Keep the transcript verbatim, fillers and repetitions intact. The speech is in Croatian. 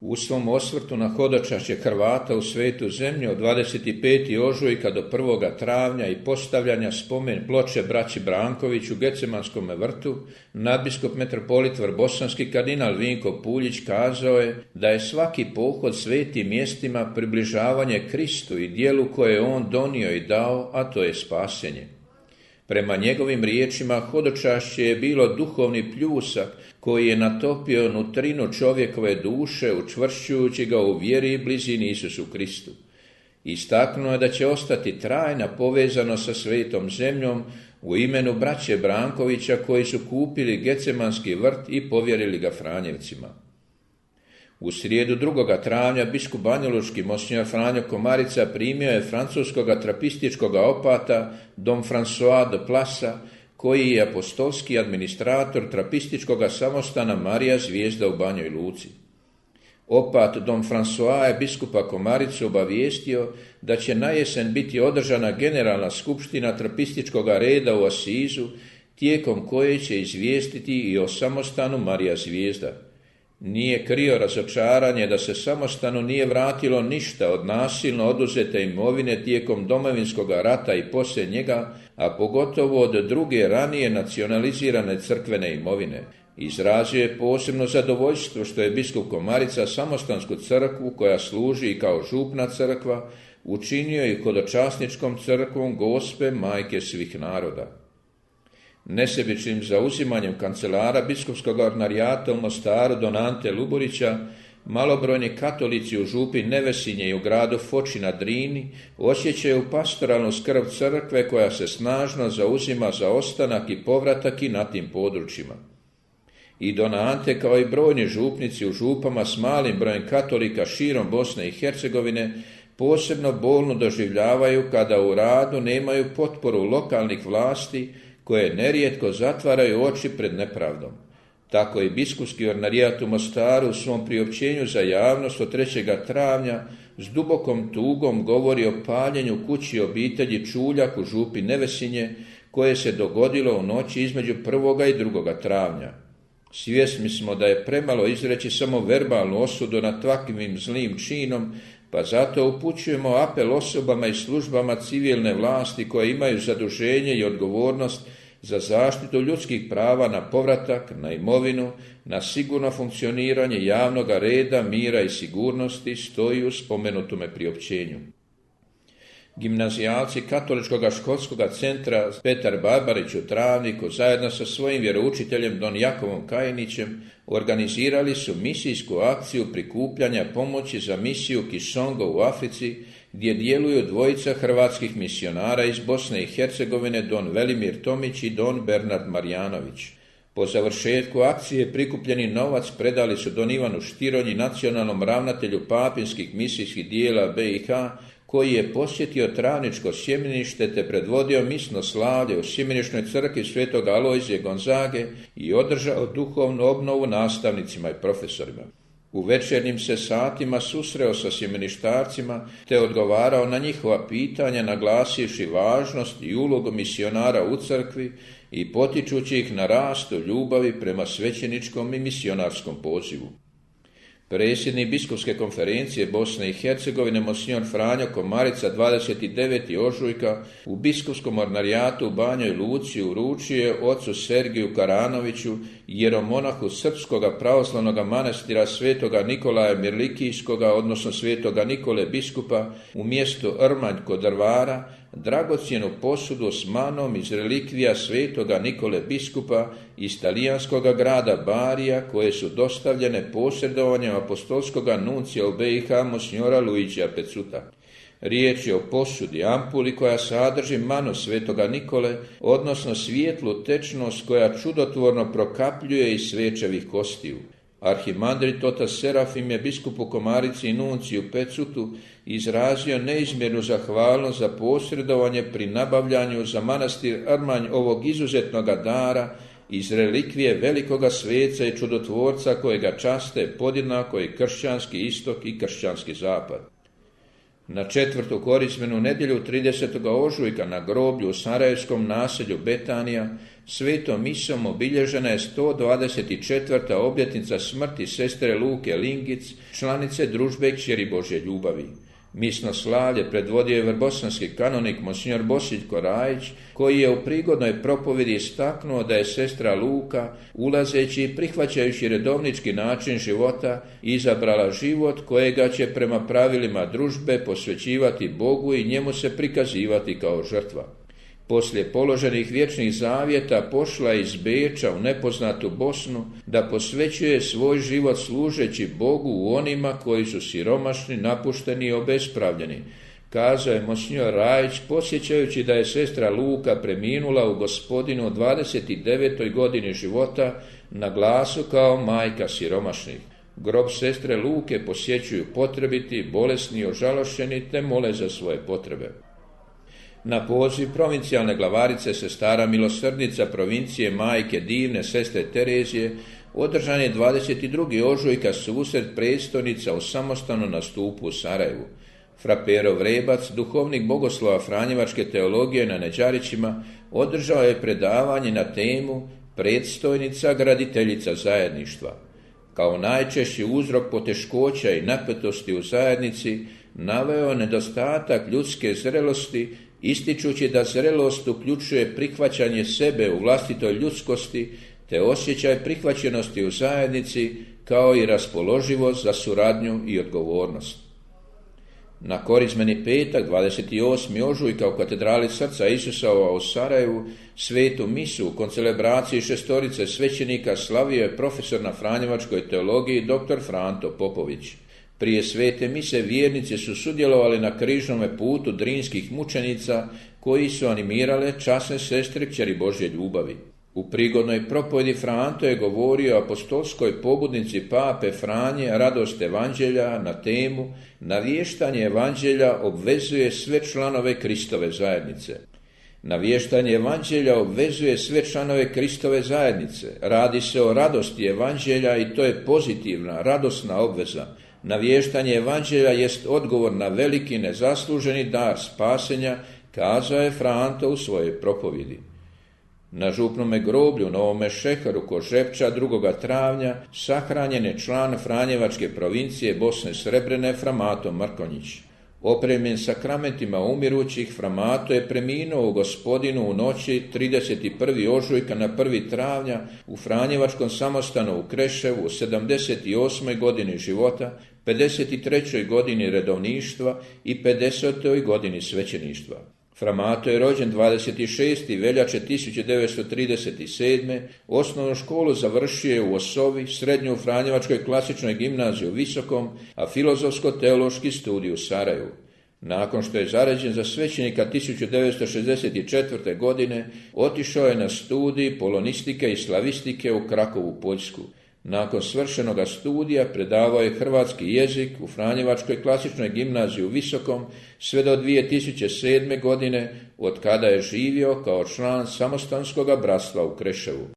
U svom osvrtu na hodočašće Hrvata u svetu zemlju od dvadeset petog ožujka do prvog travnja i postavljanja spomen ploče braći Branković u Gecemanskom vrtu, nadbiskup metropolit Vrbosanski kardinal Vinko Puljić kazao je da je svaki pohod svetim mjestima približavanje Kristu i dijelu koje je on donio i dao, a to je spasenje. Prema njegovim riječima, hodočašće je bilo duhovni pljusak koji je natopio nutrinu čovjekove duše, učvršćujući ga u vjeri i blizini Isusu Kristu. Istaknuo je da će ostati trajna povezano sa svetom zemljom u imenu braće Brankovića koji su kupili Gecemanski vrt i povjerili ga Franjevcima. U srijedu drugog travnja biskup banjalučki monsinjor Franjo Komarica primio je francuskoga trapističkoga opata Dom François de Plasa, koji je apostolski administrator trapističkoga samostana Marija Zvijezda u Banjoj Luci. Opat Dom François je biskupa Komaricu obavijestio da će na jesen biti održana generalna skupština trapističkoga reda u Asizu, tijekom koje će izvijestiti i o samostanu Marija Zvijezda. Nije krio razočaranje da se samostanu nije vratilo ništa od nasilno oduzete imovine tijekom Domovinskog rata i poslije njega, a pogotovo od druge ranije nacionalizirane crkvene imovine. Izrazio je posebno zadovoljstvo što je biskup Komarica samostansku crkvu, koja služi i kao župna crkva, učinio i hodočasničkom crkvom Gospe Majke svih naroda. Nesebičnim zauzimanjem kancelara biskupskog ordinarijata u Mostaru don Ante Luburića, malobrojni katolici u župi Nevesinje i u gradu Foči na Drini osjećaju pastoralnu skrb crkve koja se snažno zauzima za ostanak i povratak i na tim područjima. I don Ante, kao i brojni župnici u župama s malim brojem katolika širom Bosne i Hercegovine, posebno bolno doživljavaju kada u radu nemaju potporu lokalnih vlasti koje nerijetko zatvaraju oči pred nepravdom. Tako i biskupski ordinarijat u Mostaru u svom priopćenju za javnost od trećeg travnja s dubokom tugom govori o paljenju kući obitelji Čuljak u župi Nevesinje, koje se dogodilo u noći između prvoga i drugoga travnja. Svjesni smo da je premalo izreći samo verbalnu osudu nad takvim zlim činom, pa zato upućujemo apel osobama i službama civilne vlasti koje imaju zaduženje i odgovornost za zaštitu ljudskih prava na povratak, na imovinu, na sigurno funkcioniranje javnog reda, mira i sigurnosti, stoji u spomenutome priopćenju. Gimnazijalci Katoličkog školskog centra Petar Barbarić u Travniku zajedno sa svojim vjeroučiteljem don Jakovom Kajinićem organizirali su misijsku akciju prikupljanja pomoći za misiju Kisongo u Africi, gdje djeluju dvojica hrvatskih misionara iz Bosne i Hercegovine, don Velimir Tomić i don Bernard Marjanović. Po završetku akcije prikupljeni novac predali su don Ivanu Štironji, nacionalnom ravnatelju papinskih misijskih dijela B i H, koji je posjetio Travničko sjemenište te predvodio misno slavlje u sjemeničnoj crkvi svetog Alojzije Gonzage i održao duhovnu obnovu nastavnicima i profesorima. U večernjim se satima susreo sa sjemeništarcima te odgovarao na njihova pitanja, naglasivši važnost i ulogu misionara u crkvi i potičući ih na rast u ljubavi prema svećeničkom i misionarskom pozivu. Predsjednik biskupske konferencije Bosne i Hercegovine monsinjor Franjo Komarica dvadeset devetog ožujka u biskupskom ordinarijatu u Banjoj Luci uručio je ocu Sergiju Karanoviću, jeromonahu srpskoga pravoslavnog manastira svetoga Nikolaja Mirlikijskoga, odnosno svetoga Nikole biskupa u mjestu Rmanj kod Drvara, dragocjenu posudu s manom iz relikvija svetoga Nikole biskupa iz talijanskoga grada Barija, koje su dostavljene posredovanjem apostolskog nuncija u B i H monsinjora Luigija Pecuta. Riječ je o posudi ampuli koja sadrži manu svetoga Nikole, odnosno svijetlu tečnost koja čudotvorno prokapljuje iz svečevih kostiju. Arhimandrit otac Serafim je biskupu Komarici i nunciju Pecutu izrazio neizmjernu zahvalnost za posredovanje pri nabavljanju za manastir Rmanj ovog izuzetnog dara iz relikvije velikoga sveca i čudotvorca kojega časte podjednako i kršćanski istok i kršćanski zapad. Na četvrtu korizmenu nedjelju tridesetog ožujka na groblju u sarajevskom naselju Betanija svetom misom obilježena je sto dvadeset četvrta obljetnica smrti sestre Luke Lingic, članice družbe Kćeri Božje ljubavi. Misno slavlje predvodio je vrbosanski kanonik monsignor Bosiljko Rajić, koji je u prigodnoj propovjedi istaknuo da je sestra Luka, ulazeći i prihvaćajući redovnički način života, izabrala život kojega će prema pravilima družbe posvećivati Bogu i njemu se prikazivati kao žrtva. Poslije položenih vječnih zavjeta pošla je iz Beča u nepoznatu Bosnu da posvećuje svoj život služeći Bogu u onima koji su siromašni, napušteni i obespravljeni, kazao je monsignor Rajić, posjećajući da je sestra Luka preminula u Gospodinu u dvadeset devetoj godini života na glasu kao majka siromašnih. Grob sestre Luke posjećuju potrebiti, bolesni i ožalošćeni te mole za svoje potrebe. Na poziv provincijalne glavarice sestara milosrdnica provincije majke divne sestre Terezije održan je dvadeset drugog ožujka susret predstojnica u samostanu na stupu u Sarajevu. Fraperov Rebac, duhovnik bogoslova franjevačke teologije na Neđarićima, održao je predavanje na temu predstojnica graditeljica zajedništva. Kao najčešći uzrok poteškoća i napetosti u zajednici naveo nedostatak ljudske zrelosti, ističući da zrelost uključuje prihvaćanje sebe u vlastitoj ljudskosti te osjećaj prihvaćenosti u zajednici kao i raspoloživost za suradnju i odgovornost. Na korizmeni petak, dvadeset osmog ožujka u katedrali Srca Isusova u Sarajevu svetu misu u koncelebraciji šestorice svećenika slavio je profesor na franjevačkoj teologiji dr. Franto Popović. Prije svete mise vjernici su sudjelovali na križnome putu drinskih mučenica koji su animirale časne sestre Kćeri Božje ljubavi. U prigodnoj propovjedi Franto je govorio o apostolskoj pobudnici pape Franje radost evanđelja na temu navještanje evanđelja obvezuje sve članove Kristove zajednice. Navještanje evanđelja obvezuje sve članove Kristove zajednice. Radi se o radosti evanđelja i to je pozitivna, radosna obveza. Navještanje evanđelja jest odgovor na veliki nezasluženi dar spasenja, kazao je Franto u svojoj propovjedi. Na župnome groblju Novome Šeheru kod Žepča drugog travnja sahranjen je član Franjevačke provincije Bosne Srebrene Framato Mrkonjić. Opremljen sakramentima umirućih, Framato je preminuo u Gospodinu u noći trideset prvog ožujka na prvi travnja u Franjevačkom samostanu u Kreševu u sedamdeset osmoj godini života, pedeset trećoj godini redovništva i pedesetoj godini svećeništva. Framato je rođen dvadeset šestog veljače tisuću devetsto trideset sedme. Osnovnu školu završio je u Osovi, srednju u Franjevačkoj klasičnoj gimnaziji u Visokom, a filozofsko-teološki studij u Sarajevu. Nakon što je zaređen za svećenika tisuću devetsto šezdeset četvrte. godine, otišao je na studij polonistike i slavistike u Krakovu, Poljsku. Nakon svršenoga studija predavao je hrvatski jezik u Franjevačkoj klasičnoj gimnaziji u Visokom sve do dvije tisuće sedme. godine, od kada je živio kao član samostanskoga bratstva u Kreševu.